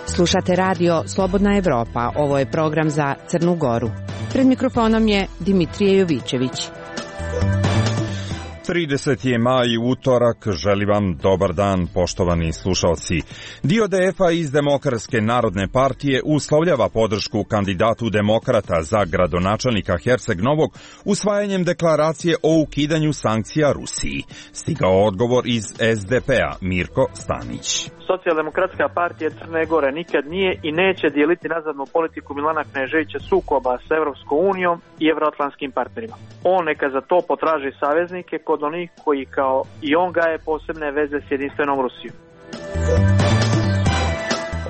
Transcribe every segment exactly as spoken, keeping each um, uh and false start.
Slušate radio Slobodna Evropa, ovo je program za Crnu Goru. Pred mikrofonom je Dimitrije Jovićević. trideseti je maj, utorak, želim vam dobar dan, poštovani slušalci. Dio D F-a iz Demokratske narodne partije uslovljava podršku kandidatu demokrata za gradonačelnika Herceg Novog usvajanjem deklaracije o ukidanju sankcija Rusiji. Stigao odgovor iz S D P-a, Mirko Stanić. Socijaldemokratska partija Crne Gore nikad nije i neće dijeliti nazadnu politiku Milana Kneževića sukoba s Evropskom unijom i evroatlantskim partnerima. On neka za to potraži saveznike kod onih koji kao i on gaje posebne veze s jedinstvenom Rusijom.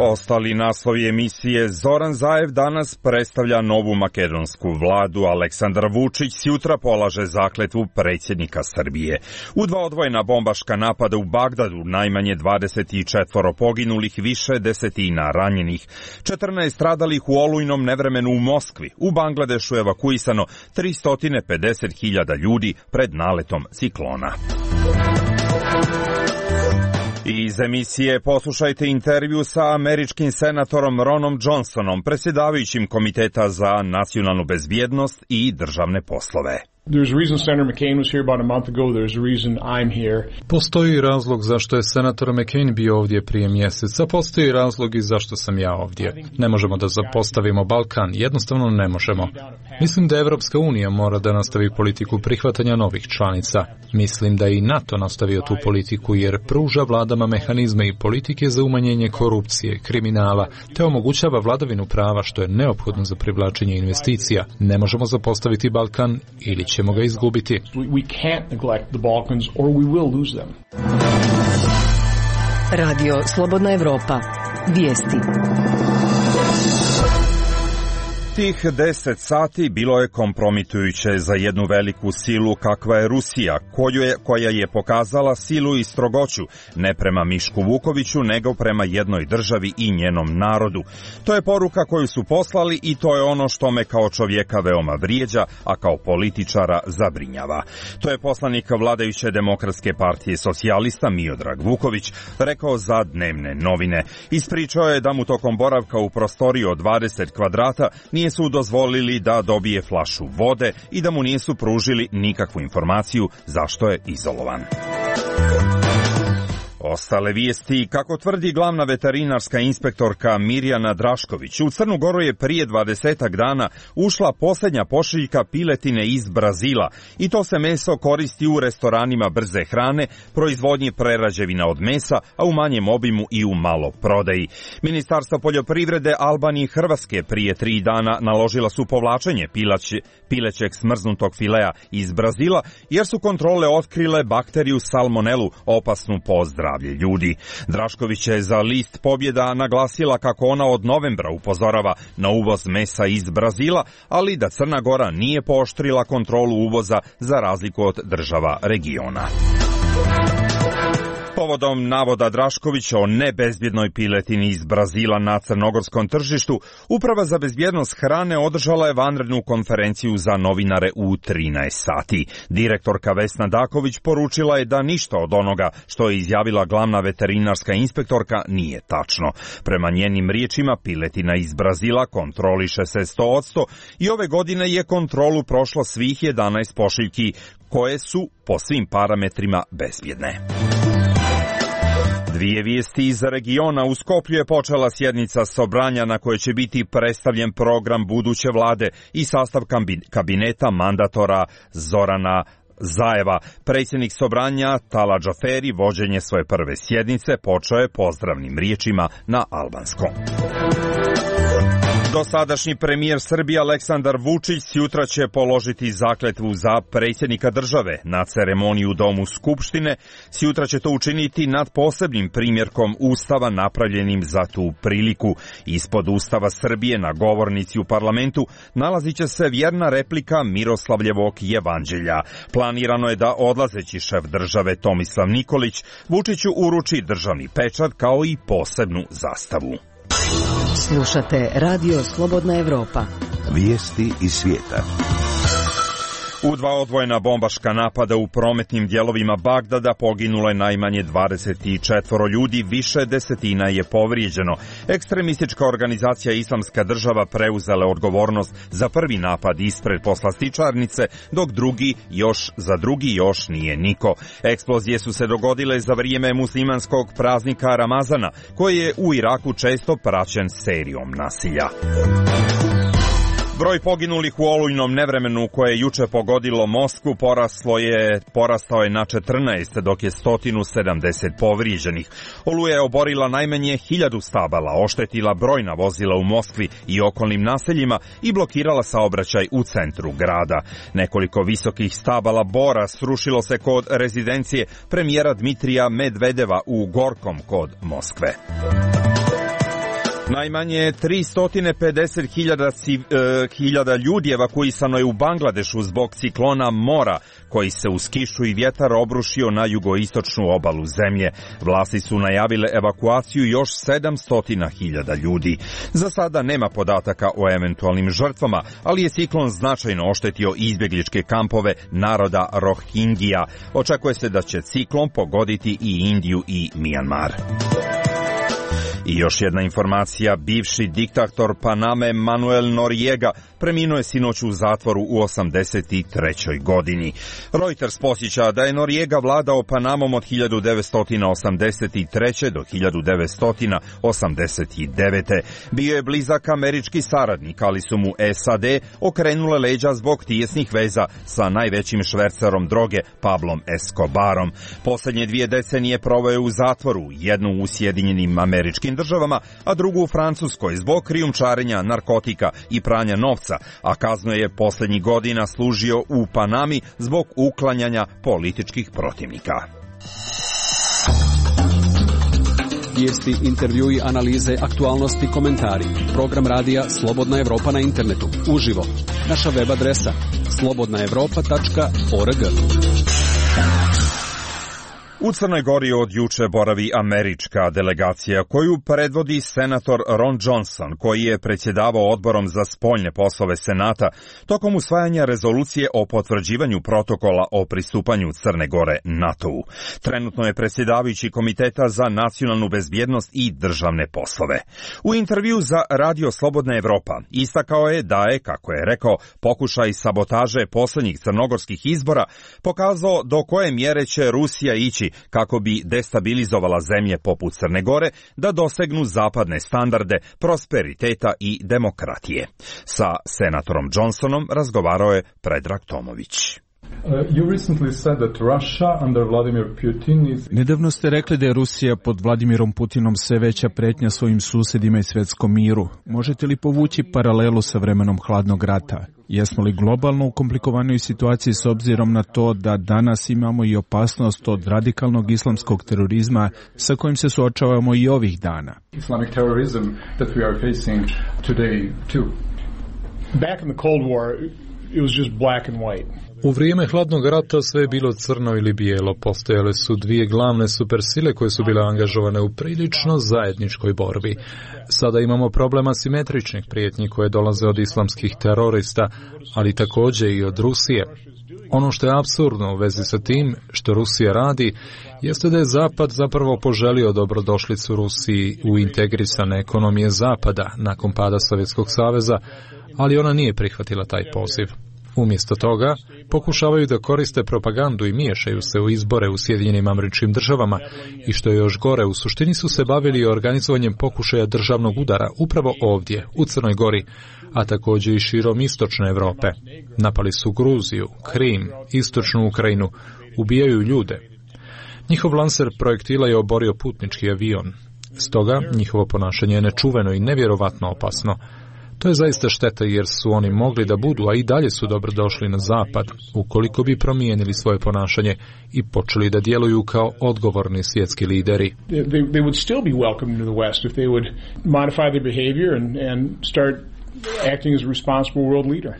Ostali naslovi emisije: Zoran Zaev danas predstavlja novu makedonsku vladu, Aleksandar Vučić sutra polaže zakletvu predsjednika Srbije. U dva odvojena bombaška napada u Bagdadu najmanje dvadeset četiri poginulih, više desetina ranjenih. četrnaest stradalih u olujnom nevremenu u Moskvi. U Bangladešu evakuisano tristo pedeset hiljada ljudi pred naletom ciklona. Iz emisije poslušajte intervju sa američkim senatorom Ronom Johnsonom, predsjedavajućim Komiteta za nacionalnu bezbjednost i državne poslove. There's a reason Senator McCain was here about a month ago. There's a reason I'm here. Postoji razlog zašto je senator McCain bio ovdje prije mjeseca. Postoji razlog i zašto sam ja ovdje. Ne možemo da zapostavimo Balkan. Jednostavno ne možemo. Mislim da Evropska unija mora da nastavi politiku prihvatanja novih članica. Mislim da i NATO nastavio tu politiku jer pruža vladama mehanizme i politike za umanjenje korupcije, kriminala, te omogućava vladavinu prava što je neophodno za privlačenje investicija. Ne možemo zapostaviti Balkan ili ćemo ga izgubiti. We can't neglect the Balkans or we will lose them. Radio Slobodna Evropa. Vijesti. Tih deset sati bilo je kompromitujuće za jednu veliku silu kakva je Rusija, koju je, koja je pokazala silu i strogoću ne prema Mišku Vukoviću, nego prema jednoj državi i njenom narodu. To je poruka koju su poslali i to je ono što me kao čovjeka veoma vrijeđa, a kao političara zabrinjava. To je poslanik vladajuće Demokratske partije socijalista Miodrag Vuković rekao za dnevne novine. Ispričao je da mu tokom boravka u prostoriji od dvadeset kvadrata nije su dozvolili da dobije flašu vode i da mu nisu pružili nikakvu informaciju zašto je izolovan. Ostale vijesti: kako tvrdi glavna veterinarska inspektorka Mirjana Drašković, u Crnu Goru je prije dvadesetak dana ušla posljednja pošiljka piletine iz Brazila i to se meso koristi u restoranima brze hrane, proizvodnji prerađevina od mesa, a u manjem obimu i u maloprodaji. Ministarstvo poljoprivrede Albanije i Hrvatske prije tri dana naložila su povlačenje pilaće, pilećeg smrznutog filea iz Brazila jer su kontrole otkrile bakteriju salmonelu, opasnu po zdravlje ljudi. Drašković je za list Pobjeda naglasila kako ona od novembra upozorava na uvoz mesa iz Brazila, ali da Crna Gora nije pooštrila kontrolu uvoza za razliku od država regiona. Povodom navoda Draškovića o nebezbjednoj piletini iz Brazila na crnogorskom tržištu, Uprava za bezbjednost hrane održala je vanrednu konferenciju za novinare u trinaest sati. Direktorka Vesna Daković poručila je da ništa od onoga što je izjavila glavna veterinarska inspektorka nije tačno. Prema njenim riječima, piletina iz Brazila kontroliše se sto posto i ove godine je kontrolu prošlo svih jedanaest pošiljki koje su po svim parametrima bezbjedne. Dvije vijesti iz regiona. U Skoplju je počela sjednica Sobranja na kojoj će biti predstavljen program buduće vlade i sastav kabineta mandatora Zorana Zaeva. Predsjednik Sobranja Tala Džaferi vođenje svoje prve sjednice počeo je pozdravnim riječima na albanskom. Dosadašnji premijer Srbije Aleksandar Vučić sutra će položiti zakletvu za predsjednika države na ceremoniji u Domu Skupštine. Sutra će to učiniti nad posebnim primjerkom Ustava napravljenim za tu priliku. Ispod Ustava Srbije na govornici u parlamentu nalazit će se vjerna replika Miroslavljevog evanđelja. Planirano je da odlazeći šef države Tomislav Nikolić Vučiću uruči državni pečat kao i posebnu zastavu. Slušate Radio Slobodna Evropa, Vijesti iz svijeta. U dva odvojena bombaška napada u prometnim dijelovima Bagdada poginulo je najmanje dvadeset četiri ljudi, više desetina je povrijeđeno. Ekstremistička organizacija Islamska država preuzela odgovornost za prvi napad ispred poslastičarnice, dok drugi još za drugi još nije niko. Eksplozije su se dogodile za vrijeme muslimanskog praznika Ramazana, koji je u Iraku često praćen serijom nasilja. Broj poginulih u olujnom nevremenu koje je juče pogodilo Moskvu poraslo je, porastao je na četrnaest, dok je sto sedamdeset povrijeđenih. Oluja je oborila najmanje hiljadu stabala, oštetila brojna vozila u Moskvi i okolnim naseljima i blokirala saobraćaj u centru grada. Nekoliko visokih stabala bora srušilo se kod rezidencije premijera Dmitrija Medvedeva u Gorkom kod Moskve. Najmanje tristo pedeset hiljada ljudi evakuisano je u Bangladešu zbog ciklona Mora, koji se uz kišu i vjetar obrušio na jugoistočnu obalu zemlje. Vlasti su najavile evakuaciju još sedamsto hiljada ljudi. Za sada nema podataka o eventualnim žrtvama, ali je ciklon značajno oštetio izbjegličke kampove naroda Rohingija. Očekuje se da će ciklon pogoditi i Indiju i Mijanmar. I još jedna informacija, bivši diktator Paname Manuel Noriega preminuo je sinoć u zatvoru u osamdeset trećoj godini. Reuters posjeća da je Noriega vladao Panamom od hiljadu devetsto osamdeset treće do hiljadu devetsto osamdeset devete. Bio je blizak američki saradnik, ali su mu S A D okrenule leđa zbog tijesnih veza sa najvećim švercerom droge Pablom Escobarom. Posljednje dvije decenije proveo je u zatvoru, jednu u Sjedinjenim Američkim Državama, a drugu u Francuskoj zbog krijumčarenja narkotika i pranja novca, a kaznu je posljednjih godina služio u Panami zbog uklanjanja političkih protivnika. Vijesti, intervjui, analize, aktualnosti, komentari. Program radija Slobodna Evropa na internetu. Uživo. Naša web adresa slobodna evropa tačka org. U Crnoj Gori od juče boravi američka delegacija koju predvodi senator Ron Johnson, koji je predsjedavao odborom za spoljne poslove Senata tokom usvajanja rezolucije o potvrđivanju protokola o pristupanju Crne Gore NATO-u. Trenutno je predsjedavajući Komiteta za nacionalnu bezbjednost i državne poslove. U intervju za Radio Slobodna Evropa istakao je da je, kako je rekao, pokušaj sabotaže posljednjih crnogorskih izbora pokazao do koje mjere će Rusija ići kako bi destabilizovala zemlje poput Crne Gore da dosegnu zapadne standarde prosperiteta i demokratije. Sa senatorom Johnsonom razgovarao je Predrag Tomović. Nedavno ste rekli da je Rusija pod Vladimirom Putinom sve veća pretnja svojim susjedima i svjetskom miru. Možete li povući paralelu sa vremenom hladnog rata? Jesmo li globalno u komplikovanoj situaciji s obzirom na to da danas imamo i opasnost od radikalnog islamskog terorizma sa kojim se suočavamo i ovih dana? Islamic terrorism that we are facing today too. Back in the Cold War, it was just black and white. U vrijeme hladnog rata sve je bilo crno ili bijelo. Postojale su dvije glavne supersile koje su bile angažovane u prilično zajedničkoj borbi. Sada imamo problem asimetričnih prijetnji koje dolaze od islamskih terorista, ali također i od Rusije. Ono što je apsurdno u vezi sa tim što Rusija radi, jeste da je Zapad zapravo poželio dobrodošlicu Rusiji u integrisane ekonomije Zapada nakon pada Sovjetskog saveza, ali ona nije prihvatila taj poziv. Umjesto toga, pokušavaju da koriste propagandu i miješaju se u izbore u Sjedinjenim Američkim Državama i što je još gore, u suštini su se bavili organizovanjem pokušaja državnog udara upravo ovdje, u Crnoj Gori, a također i širom istočne Europe. Napali su Gruziju, Krim, istočnu Ukrajinu, ubijaju ljude. Njihov lanser projektila je oborio putnički avion. Stoga, njihovo ponašanje je nečuveno i nevjerovatno opasno. To je zaista šteta jer su oni mogli da budu, a i dalje su dobro došli na zapad, ukoliko bi promijenili svoje ponašanje i počeli da djeluju kao odgovorni svjetski lideri. They, they would still be welcome to the West if they would modify their behavior and, and start acting as a responsible world leader.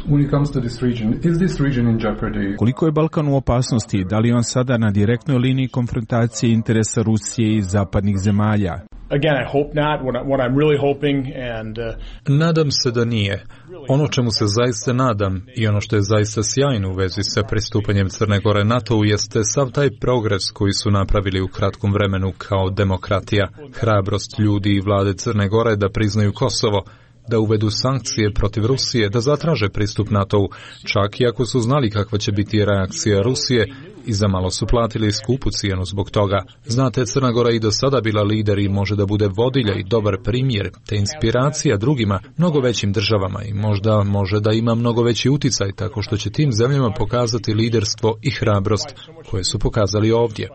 When it comes to this region, is this region in jeopardy? Koliko je Balkan u opasnosti? Da li on sada na direktnoj liniji konfrontacije interesa Rusije i zapadnih zemalja? Again, I hope not. What, I, what I'm really hoping and uh, Nadam se da nije. Ono čemu se zaista nadam i ono što je zaista sjajno u vezi sa pristupanjem Crne Gore NATO-u jeste sav taj progres koji su napravili u kratkom vremenu kao demokratija, hrabrost ljudi i vlade Crne Gore da priznaju Kosovo, da uvedu sankcije protiv Rusije, da zatraže pristup NATO-u, čak i ako su znali kakva će biti reakcija Rusije i zamalo su platili skupu cijenu zbog toga. Znate, Crna Gora i do sada bila lider i može da bude vodilja i dobar primjer, te inspiracija drugima, mnogo većim državama i možda može da ima mnogo veći uticaj tako što će tim zemljama pokazati liderstvo i hrabrost koje su pokazali ovdje.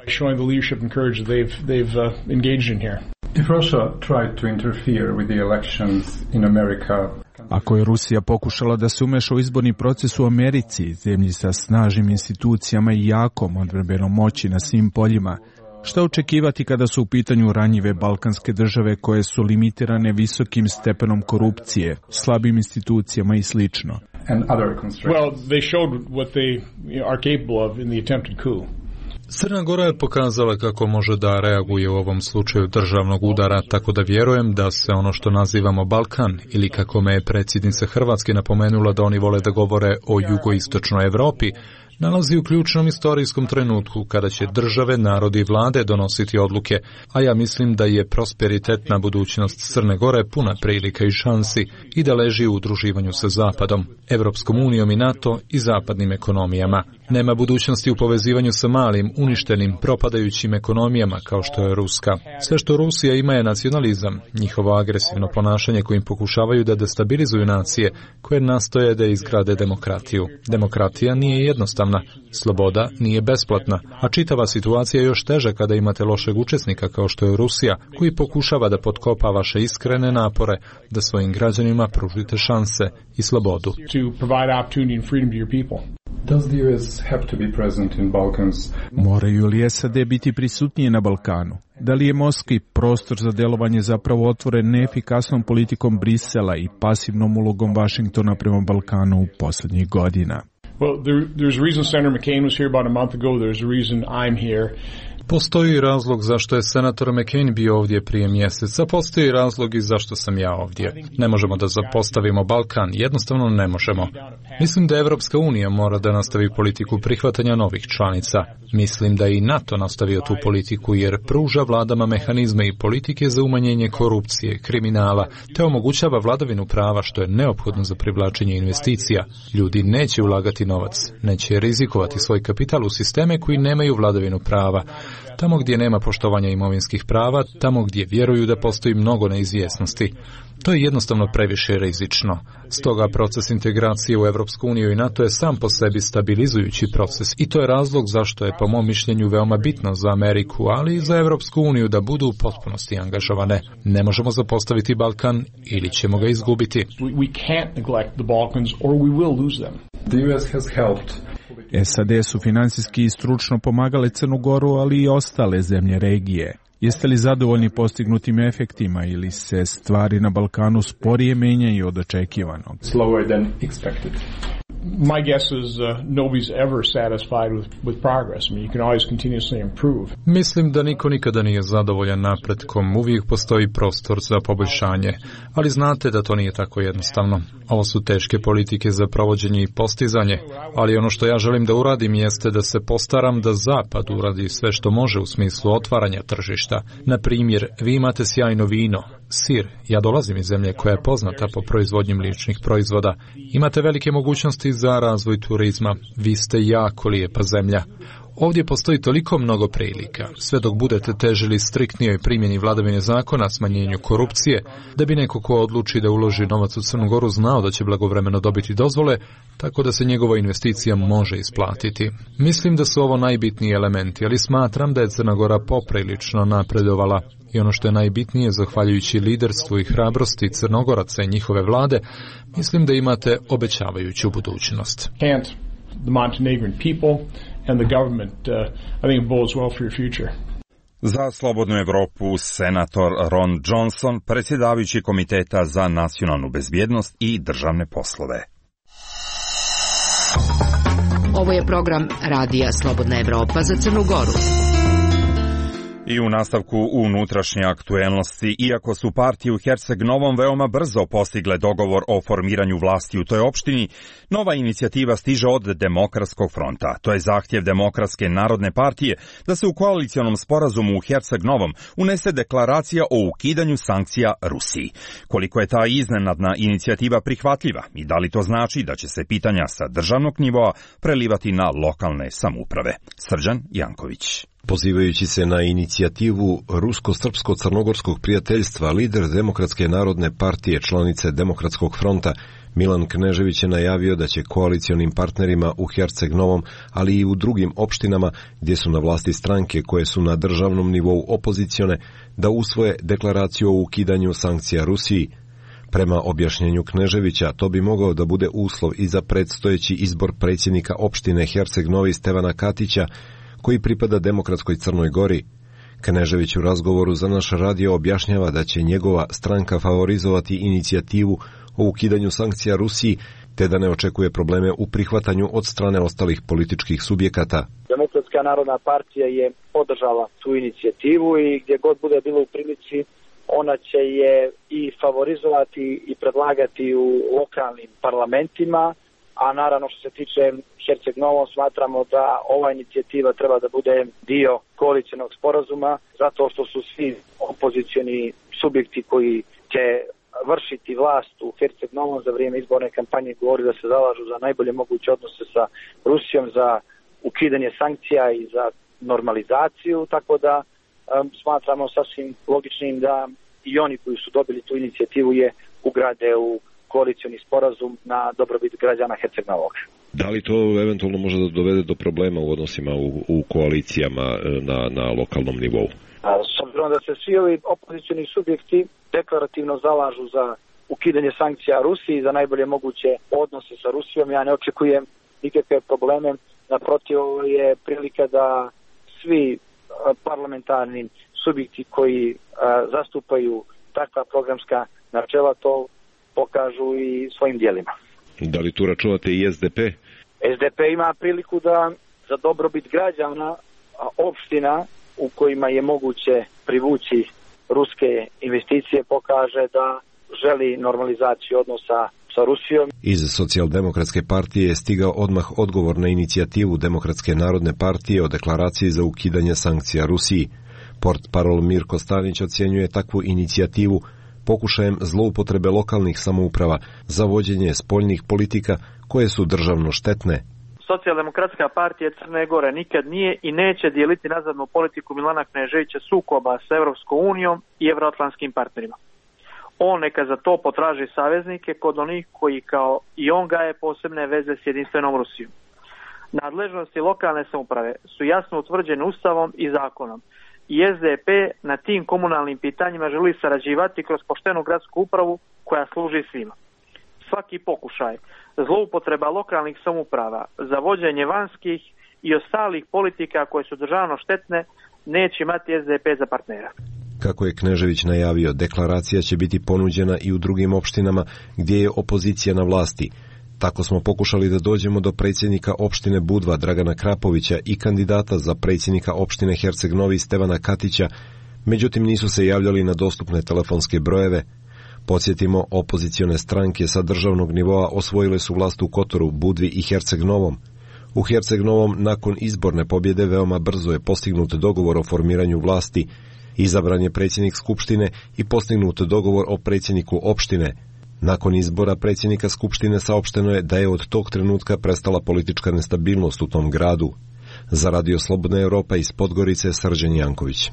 If Russia tried to interfere with the elections in America, ako je Rusija pokušala da se umeša u izborni proces u Americi, zemlji sa snažnim institucijama i jakom odbrambenom moći na svim poljima, šta očekivati kada su u pitanju ranjive balkanske države koje su limitirane visokim stepenom korupcije, slabim institucijama i slično? and other constraints? Well, they showed what they you know, are capable of in the attempted coup. Crna Gora je pokazala kako može da reaguje u ovom slučaju državnog udara, tako da vjerujem da se ono što nazivamo Balkan, ili kako me je predsjednica Hrvatske napomenula da oni vole da govore o jugoistočnoj Europi, nalazi u ključnom istorijskom trenutku kada će države, narodi i vlade donositi odluke, a ja mislim da je prosperitetna budućnost Crne Gore puna prilika i šansi i da leži u udruživanju sa Zapadom, Evropskom unijom i NATO i zapadnim ekonomijama. Nema budućnosti u povezivanju sa malim, uništenim, propadajućim ekonomijama kao što je Ruska. Sve što Rusija ima je nacionalizam, njihovo agresivno ponašanje kojim pokušavaju da destabilizuju nacije koje nastoje da izgrade demokratiju. Demokratija nije jednostavna, sloboda nije besplatna, a čitava situacija je još teža kada imate lošeg učesnika kao što je Rusija, koji pokušava da potkopa vaše iskrene napore da svojim građanima pružite šanse i slobodu. Does the U S have to be present in Balkans? Moraju li S A D biti prisutnije na Balkanu? Da li je Moskvi prostor za delovanje zapravo otvoren neefikasnom politikom Brisela i pasivnom ulogom Vašingtona prema Balkanu u posljednjih godina? Well, there, there's a reason Senator McCain was here about a month ago. There's a reason I'm here. Postoji razlog zašto je senator McCain bio ovdje prije mjeseca, postoji razlog i zašto sam ja ovdje. Ne možemo da zapostavimo Balkan, jednostavno ne možemo. Mislim da Evropska unija mora da nastavi politiku prihvatanja novih članica. Mislim da i NATO nastavio tu politiku jer pruža vladama mehanizme i politike za umanjenje korupcije, kriminala, te omogućava vladavinu prava što je neophodno za privlačenje investicija. Ljudi neće ulagati novac, neće rizikovati svoj kapital u sisteme koji nemaju vladavinu prava. Tamo gdje nema poštovanja imovinskih prava, tamo gdje vjeruju da postoji mnogo neizvjesnosti. To je jednostavno previše rizično. Stoga proces integracije u Evropsku uniju i NATO je sam po sebi stabilizujući proces i to je razlog zašto je po mom mišljenju veoma bitno za Ameriku, ali i za Evropsku uniju da budu u potpunosti angažovane. Ne možemo zapostaviti Balkan ili ćemo ga izgubiti. We can't neglect the Balkans or we will lose them. The U S has helped. S A D su financijski i stručno pomagale Crnu Goru, ali i ostale zemlje regije. Jeste li zadovoljni postignutim efektima ili se stvari na Balkanu sporije menjaju od očekivanog? Slower than expected. My guess is uh, nobody's ever satisfied with, with progress. I mean, you can always continuously improve. Mislim da niko nikada nije zadovoljan napretkom, uvijek postoji prostor za poboljšanje, ali znate da to nije tako jednostavno. Ovo su teške politike za provođenje i postizanje, ali ono što ja želim da uradim jeste da se postaram da Zapad uradi sve što može u smislu otvaranja tržišta. Na primjer, vi imate sjajno vino, sir, ja dolazim iz zemlje koja je poznata po proizvodnji mliječnih proizvoda. Imate velike mogućnosti za razvoj turizma, vi ste jako lijepa zemlja. Ovdje postoji toliko mnogo prilika, sve dok budete težili striktnijoj primjeni vladavine zakona, smanjenju korupcije, da bi neko ko odluči da uloži novac u Crnu Goru znao da će blagovremeno dobiti dozvole, tako da se njegova investicija može isplatiti. Mislim da su ovo najbitniji elementi, ali smatram da je Crna Gora poprilično napredovala. I ono što je najbitnije, zahvaljujući liderstvu i hrabrosti Crnogoraca i njihove vlade, mislim da imate obećavajuću budućnost. The Montenegrin people and the government, uh, I think it bodes well for your future. Za Slobodnu Evropu senator Ron Johnson, predsjedavajući Komiteta za nacionalnu bezbjednost i državne poslove. Ovo je program Radija Slobodna Evropa za Crnu Goru. I u nastavku unutrašnje aktuelnosti, iako su partije u Herceg Novom veoma brzo postigle dogovor o formiranju vlasti u toj opštini, nova inicijativa stiže od Demokratskog fronta. To je zahtjev Demokratske narodne partije da se u koalicionom sporazumu u Herceg Novom unese deklaracija o ukidanju sankcija Rusiji. Koliko je ta iznenadna inicijativa prihvatljiva i da li to znači da će se pitanja sa državnog nivoa prelivati na lokalne samouprave? Srđan Janković. Pozivajući se na inicijativu Rusko-Srpsko-Crnogorskog prijateljstva, lider Demokratske narodne partije, članice Demokratskog fronta, Milan Knežević je najavio da će koalicionim partnerima u Herceg Novom, ali i u drugim opštinama gdje su na vlasti stranke koje su na državnom nivou opozicione, da usvoje deklaraciju o ukidanju sankcija Rusiji. Prema objašnjenju Kneževića, to bi mogao da bude uslov i za predstojeći izbor predsjednika opštine Herceg Novi Stevana Katića, koji pripada Demokratskoj Crnoj Gori. Knežević u razgovoru za naš radio objašnjava da će njegova stranka favorizovati inicijativu o ukidanju sankcija Rusiji, te da ne očekuje probleme u prihvatanju od strane ostalih političkih subjekata. Demokratska narodna partija je podržala tu inicijativu i gdje god bude bilo u prilici, ona će je i favorizovati i predlagati u lokalnim parlamentima, a naravno što se tiče Herceg Novom smatramo da ova inicijativa treba da bude dio koalicionog sporazuma, zato što su svi opozicioni subjekti koji će vršiti vlast u Herceg Novom za vrijeme izborne kampanje govori da se zalažu za najbolje moguće odnose sa Rusijom, za ukidanje sankcija i za normalizaciju, tako da um, smatramo sasvim logičnim da i oni koji su dobili tu inicijativu je ugrade u koalicioni sporazum na dobrobit građana Herceg Novog. Da li to eventualno može da dovede do problema u odnosima u, u koalicijama na, na lokalnom nivou? S obzirom da se svi ovi opozicioni subjekti deklarativno zalažu za ukidanje sankcija Rusiji, za najbolje moguće odnose sa Rusijom, ja ne očekujem nikakve probleme. Naprotiv, ovo je prilika da svi parlamentarni subjekti koji a, zastupaju takva programska načela to pokažu i svojim dijelima. Da li tu računate i S D P? S D P ima priliku da za dobrobit građana opština u kojima je moguće privući ruske investicije pokaže da želi normalizaciju odnosa sa Rusijom. Iz Socijaldemokratske partije je stigao odmah odgovor na inicijativu Demokratske narodne partije o deklaraciji za ukidanje sankcija Rusiji. Portparol Mirko Stanić ocjenjuje takvu inicijativu pokušajem zloupotrebe lokalnih samouprava za vođenje spoljnih politika koje su državno štetne. Socijaldemokratska partija Crne Gore nikad nije i neće dijeliti nazadnu politiku Milana Kneževića sukoba sa Evropskom unijom i evroatlantskim partnerima. On neka za to potraži saveznike kod onih koji kao i on gaje posebne veze s jedinstvenom Rusijom. Nadležnosti lokalne samouprave su jasno utvrđene Ustavom i zakonom. I S D P na tim komunalnim pitanjima želi sarađivati kroz poštenu gradsku upravu koja služi svima. Svaki pokušaj zloupotreba lokalnih samouprava za vođenje vanjskih i ostalih politika koje su državno štetne neće imati S D P za partnera. Kako je Knežević najavio, deklaracija će biti ponuđena i u drugim opštinama gdje je opozicija na vlasti. Tako smo pokušali da dođemo do predsjednika opštine Budva Dragana Krapovića i kandidata za predsjednika opštine Herceg Novi Stevana Katića, međutim nisu se javljali na dostupne telefonske brojeve. Podsjetimo, opozicione stranke sa državnog nivoa osvojile su vlast u Kotoru, Budvi i Herceg Novom. U Herceg Novom nakon izborne pobjede veoma brzo je postignut dogovor o formiranju vlasti, izabran je predsjednik skupštine i postignut dogovor o predsjedniku opštine. Nakon izbora predsjednika skupštine saopšteno je da je od tog trenutka prestala politička nestabilnost u tom gradu. Za Radio Slobodna Evropa iz Podgorice, Srđan Janković.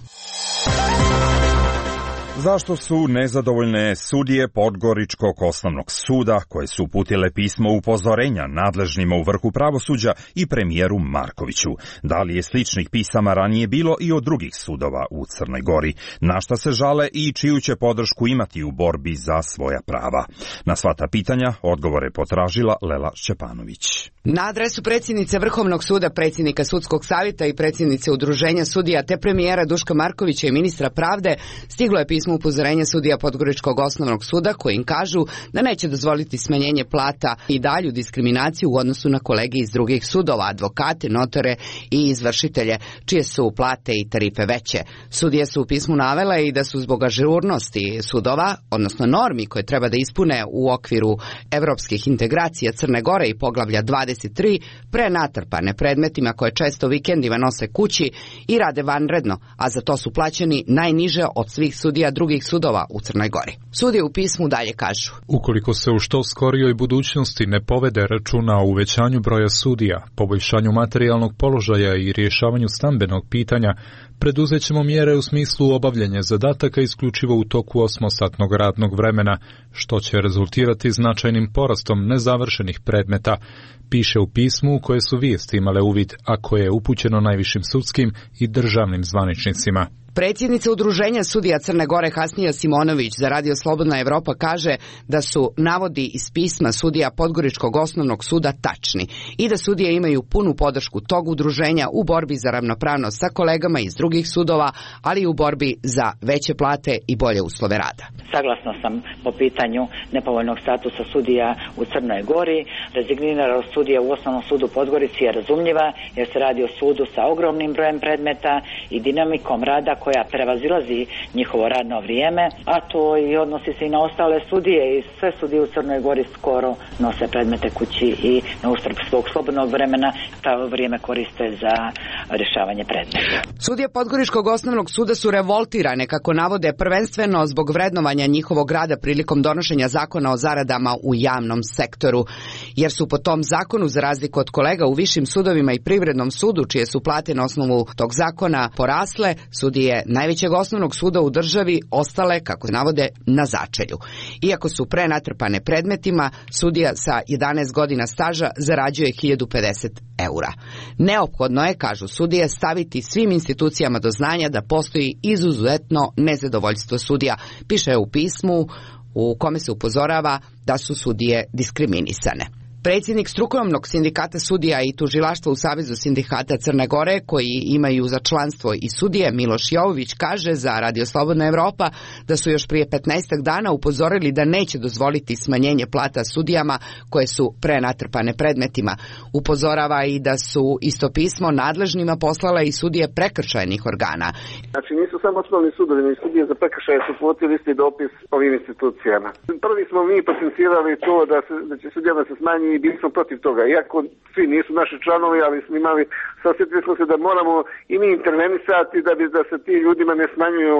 Zašto su nezadovoljne sudije Podgoričkog osnovnog suda koje su uputile pismo upozorenja nadležnima u vrhu pravosuđa i premijeru Markoviću? Da li je sličnih pisama ranije bilo i od drugih sudova u Crnoj Gori? Na šta se žale i čiju će podršku imati u borbi za svoja prava? Na sva ta pitanja odgovore potražila Lela Šćepanović. Na adresu predsjednice Vrhovnog suda, predsjednika Sudskog savjeta i predsjednice Udruženja sudija te premijera Duška Markovića i ministra pravde stiglo je pismo smo upozorenje sudija Podgoričkog osnovnog suda koji im kažu da neće dozvoliti smanjenje plata i dalju diskriminaciju u odnosu na kolege iz drugih sudova, advokate, notare i izvršitelje, čije su plate i tarife veće. Sudije su u pismu navele i da su zbog ažurnosti sudova, odnosno normi koje treba da ispune u okviru evropskih integracija Crne Gore i poglavlja dvadeset tri, prenatrpane predmetima koje često vikendima nose kući i rade vanredno, a za to su plaćeni najniže od svih sudija drugih sudova u Crnoj Gori. Sudije u pismu dalje kažu: ukoliko se u što skorijoj budućnosti ne povede računa o uvećanju broja sudija, poboljšanju materijalnog položaja i rješavanju stambenog pitanja, preduzet ćemo mjere u smislu obavljanja zadataka isključivo u toku osmosatnog radnog vremena, što će rezultirati značajnim porastom nezavršenih predmeta, piše u pismu u koje su vijesti imale uvid, a koje je upućeno najvišim sudskim i državnim zvaničnicima. Predsjednica Udruženja sudija Crne Gore Hasnija Simonović za Radio Slobodna Evropa kaže da su navodi iz pisma sudija Podgoričkog osnovnog suda tačni i da sudije imaju punu podršku tog udruženja u borbi za ravnopravnost sa kolegama iz drugih sudova, ali i u borbi za veće plate i bolje uslove rada. Saglasna sam po pitanju nepovoljnog statusa sudija u Crnoj Gori. Rezigniranost sudija u Osnovnom sudu Podgorici je razumljiva jer se radi o sudu sa ogromnim brojem predmeta i dinamikom rada koja prevazilazi njihovo radno vrijeme, a to i odnosi se i na ostale sudije i sve sudije u Crnoj Gori skoro nose predmete kući i na uštrb svog slobodnog vremena to vrijeme koriste za rješavanje predmeta. Sudije Podgoričkog osnovnog suda su revoltirane, kako navode, prvenstveno zbog vrednovanja njihovog rada prilikom donošenja zakona o zaradama u javnom sektoru, jer su po tom zakonu, za razliku od kolega u višim sudovima i privrednom sudu, čije su plate na osnovu tog zakona porasle, sudije najvećeg osnovnog suda u državi ostale, kako navode, na začelju. Iako su prenatrpane predmetima, sudija sa jedanaest godina staža zarađuje hiljadu pedeset eura. Neophodno je, kažu sudije, staviti svim institucijama do znanja da postoji izuzetno nezadovoljstvo sudija, piše u pismu u kome se upozorava da su sudije diskriminisane. Predsjednik strukovnog sindikata sudija i tužilaštva u Savezu sindikata Crne Gore, koji imaju za članstvo i sudije, Miloš Jovović, kaže za Radio Slobodna Evropa da su još prije petnaestak dana upozorili da neće dozvoliti smanjenje plata sudijama koje su prenatrpane predmetima. Upozorava i da su isto pismo nadležnima poslala i sudije prekršajnih organa. Znači nisu samo osnovni sudovi, ni sudije za prekršaje su uputili isti dopis ovim institucijama. Prvi smo mi potencirali to da, se, da će sudijama se smanji i bili smo protiv toga. Iako svi nisu naši članovi, ali smo imali, sasjetili smo se da moramo i mi intervenisati da bi da se ti ljudima ne smanjuju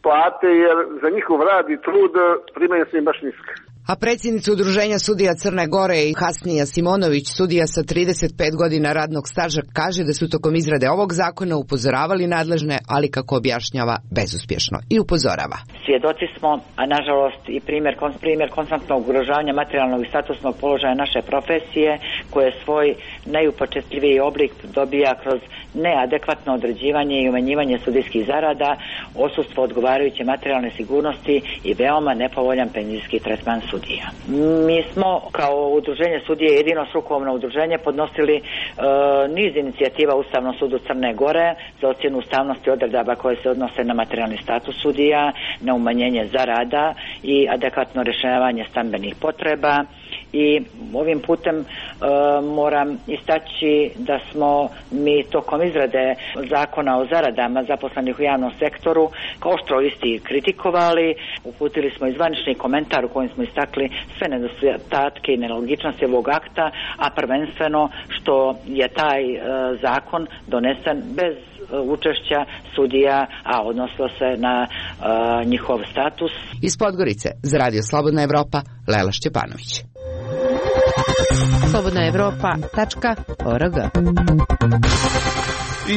plate, jer za njihov rad i trud primaju se im baš niske. A predsjednica Udruženja sudija Crne Gore i Hasnija Simonović, sudija sa trideset pet godina radnog staža, kaže da su tokom izrade ovog zakona upozoravali nadležne, ali kako objašnjava, bezuspješno. I upozorava: svjedoci smo, a nažalost i primjer, primjer konstantnog ugrožavanja materijalnog i statusnog položaja naše profesije, koje svoj najupočetljiviji oblik dobija kroz neadekvatno određivanje i umanjivanje sudijskih zarada, odsustvo odgovarajuće materijalne sigurnosti i veoma nepovoljan penzijski tretman sudija. Mi smo kao udruženje sudije, jedino strukovno udruženje, podnosili e, niz inicijativa Ustavnom sudu Crne Gore za ocjenu ustavnosti odredaba koje se odnose na materijalni status sudija, na umanjenje zarada i adekvatno rješavanje stambenih potreba. I ovim putem e, moram istaći da smo mi tokom izrade zakona o zaradama zaposlenih u javnom sektoru kao oštro isti kritikovali. Uputili smo i zvanični komentar u kojem smo istakli sve nedostatke i nelogičnosti ovog akta, a prvenstveno što je taj e, zakon donesen bez učešća sudija, a odnosilo se na e, njihov status. Iz Podgorice za Radio Slobodna Evropa, Lela Šćepanović. slobodna evropa tačka org.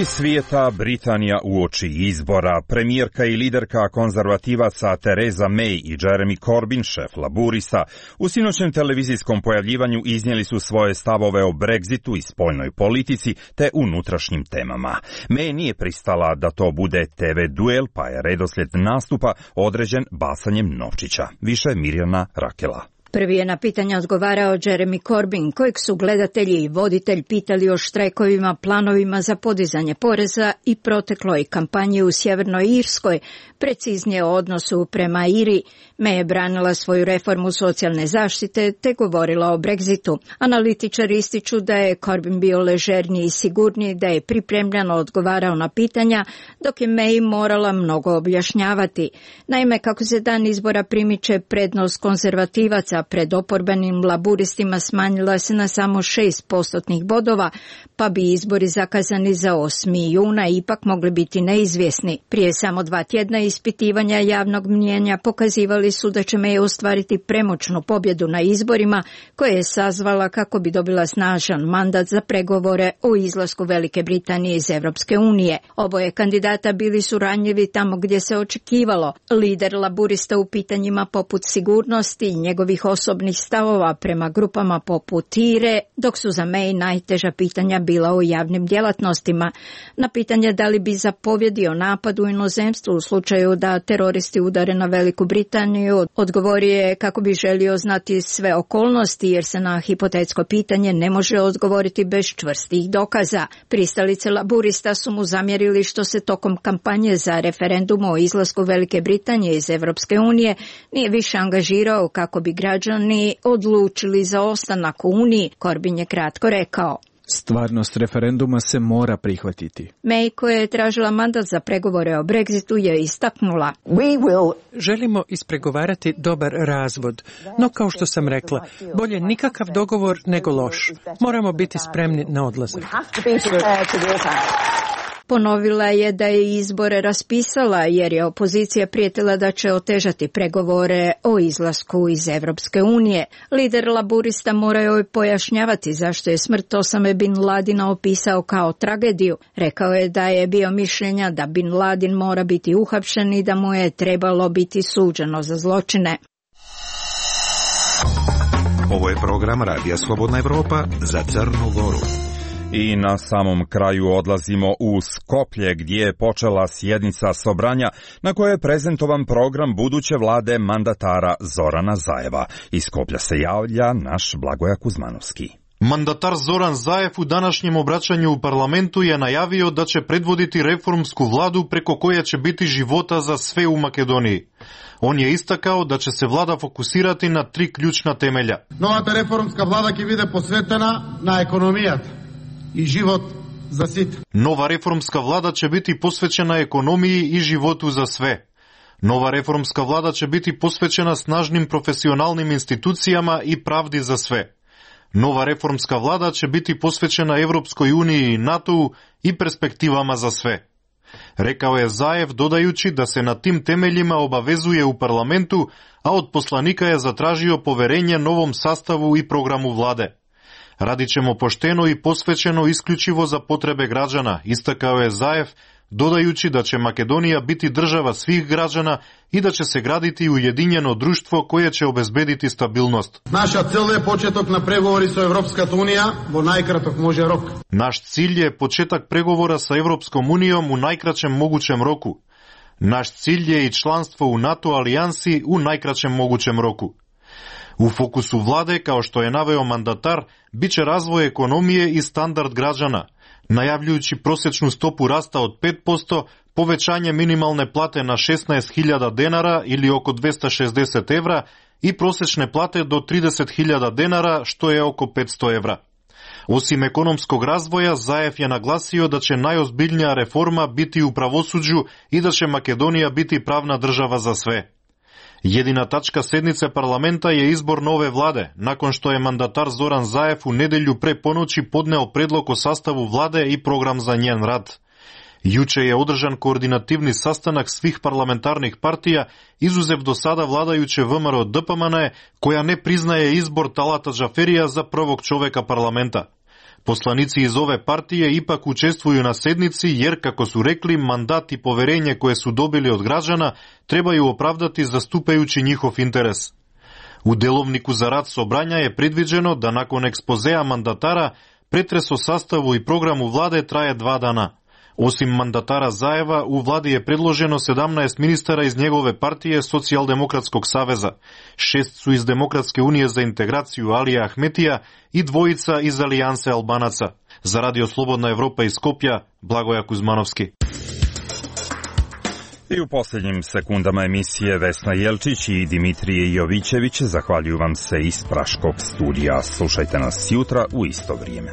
Iz svijeta Britanija uoči izbora. Premijerka i liderka konzervativaca Theresa May i Jeremy Corbyn, šef laburista, u sinoćnem televizijskom pojavljivanju iznijeli su svoje stavove o Brexitu i spoljnoj politici te unutrašnjim temama. May nije pristala da to bude te ve duel, pa je redoslijed nastupa određen basanjem novčića. Više Mirjana Rakela. Prvi je na pitanja odgovarao Jeremy Corbyn, kojeg su gledatelji i voditelj pitali o štrajkovima, planovima za podizanje poreza i protekloj kampanji u Sjevernoj Irskoj, preciznije o odnosu prema Iriji. May je branila svoju reformu socijalne zaštite te govorila o Brexitu. Analitičari ističu da je Corbyn bio ležerniji i sigurniji, da je pripremljeno odgovarao na pitanja, dok je May morala mnogo objašnjavati. Naime, kako se dan izbora primiče, prednost konzervativaca pred oporbenim laburistima smanjila se na samo šest postotnih bodova, pa bi izbori zakazani za osmi juna ipak mogli biti neizvjesni. Prije samo dva tjedna ispitivanja javnog mnijenja pokazivali su da će May ostvariti premoćnu pobjedu na izborima koje je sazvala kako bi dobila snažan mandat za pregovore o izlasku Velike Britanije iz Europske unije. Oboje kandidata bili su ranjivi tamo gdje se očekivalo. Lider laburista u pitanjima poput sigurnosti i njegovih osobnih stavova prema grupama poput Ire, dok su za May najteža pitanja bila o javnim djelatnostima. Na pitanje da li bi zapovjedio napad u inozemstvu u slučaju da teroristi udare na Veliku Britaniju, odgovorio je kako bi želio znati sve okolnosti jer se na hipotetsko pitanje ne može odgovoriti bez čvrstih dokaza. Pristalice laburista su mu zamjerili što se tokom kampanje za referendum o izlasku Velike Britanije iz Europske unije nije više angažirao kako bi građani odlučili za ostanak u Uniji. Corbyn je kratko rekao: Stvarnost referenduma se mora prihvatiti. May, koja je tražila mandat za pregovore o Brexitu, je istaknula: Želimo ispregovarati dobar razvod, no kao što sam rekla, bolje nikakav dogovor nego loš. Moramo biti spremni na odlazak. Ponovila je da je izbore raspisala jer je opozicija prijetila da će otežati pregovore o izlasku iz Europske unije. Lider laburista morao je pojašnjavati zašto je smrt Osame Bin Ladina opisao kao tragediju. Rekao je da je bio mišljenja da Bin Ladin mora biti uhapšen i da mu je trebalo biti suđeno za zločine. Ovo je program Radija Slobodna Evropa za Crnu Goru. I na samom kraju odlazimo u Skoplje gdje je počela sjednica Sobranja na kojoj je prezentovan program buduće vlade mandatara Zorana Zajeva. Iz Skoplja se javlja naš Blagoja Kuzmanovski. Mandatar Zoran Zajev u današnjem obraćanju u parlamentu je najavio da će predvoditi reformsku vladu preko koje će biti života za sve u Makedoniji. On je istakao da će se vlada fokusirati na tri ključna temelja. Новата реформска влада ќе биде посветена на економијата i život za sit. Nova reformska vlada će biti posvećena ekonomiji i životu za sve. Nova reformska vlada će biti posvećena snažnim profesionalnim institucijama i pravdi za sve. Nova reformska vlada će biti posvećena Evropskoj uniji i NATO-u i perspektivama za sve. Rekao je Zajev dodajući da se na tim temeljima obavezuje u parlamentu, a od poslanika je zatražio poverenje novom sastavu i programu vlade. Radit ćemo pošteno i posvećeno isključivo za potrebe građana, istakao je Zajev, dodajući da će Makedonija biti država svih građana i da će se graditi ujedinjeno društvo koje će obezbediti stabilnost. Naša цел е почеток на преговори со Европската унија во најкраток може рок. Naš cilj je početak pregovora sa Evropskom unijom u najkraćem mogućem roku. Naš cilj je i članstvo u NATO alijansi u najkraćem mogućem roku. U fokusu vlade, kao što je naveo mandatar, bit će razvoj ekonomije i standard građana, najavljujući prosječnu stopu rasta od pet posto, povećanje minimalne plate na šesnaest hiljada denara ili oko dvesta šezdeset evra i prosječne plate do trideset hiljada denara, što je oko petsto evra. Osim ekonomskog razvoja, Zajev je naglasio da će najozbiljnija reforma biti u pravosuđu i da će Makedonija biti pravna država za sve. Jedina tačka sednice parlamenta je izbor nove vlade, nakon što je mandatar Zoran Zajev u nedelju pre ponoći podneo predlog o sastavu vlade i program za njen rad. Juče je održan koordinativni sastanak svih parlamentarnih partija, izuzev do sada vladajuće V M R O D P M N, koja ne priznaje izbor Talata Džaferija za prvog čoveka parlamenta. Poslanici iz ove partije ipak učestvuju na sednici jer, kako su rekli, mandat i poverenje koje su dobili od građana trebaju opravdati zastupajući njihov interes. U delovniku za rad Sobranja je predviđeno da nakon ekspozea mandatara pretres o sastavu i programu vlade traje dva dana. Osim mandatara Zaeva, u vladi je predloženo sedamnaest ministara iz njegove partije Socijaldemokratskog saveza, šest su iz Demokratske unije za integraciju Alija Ahmetija i dvojica iz Alijanse Albanaca. Za Radio Slobodna Evropa iz Skopja, Blagoja Kuzmanovski. I u posljednjim sekundama emisije Vesna Jelčić i Dimitrije Jovićević zahvaljuju vam se iz Praškog studija. Slušajte nas jutra u isto vrijeme.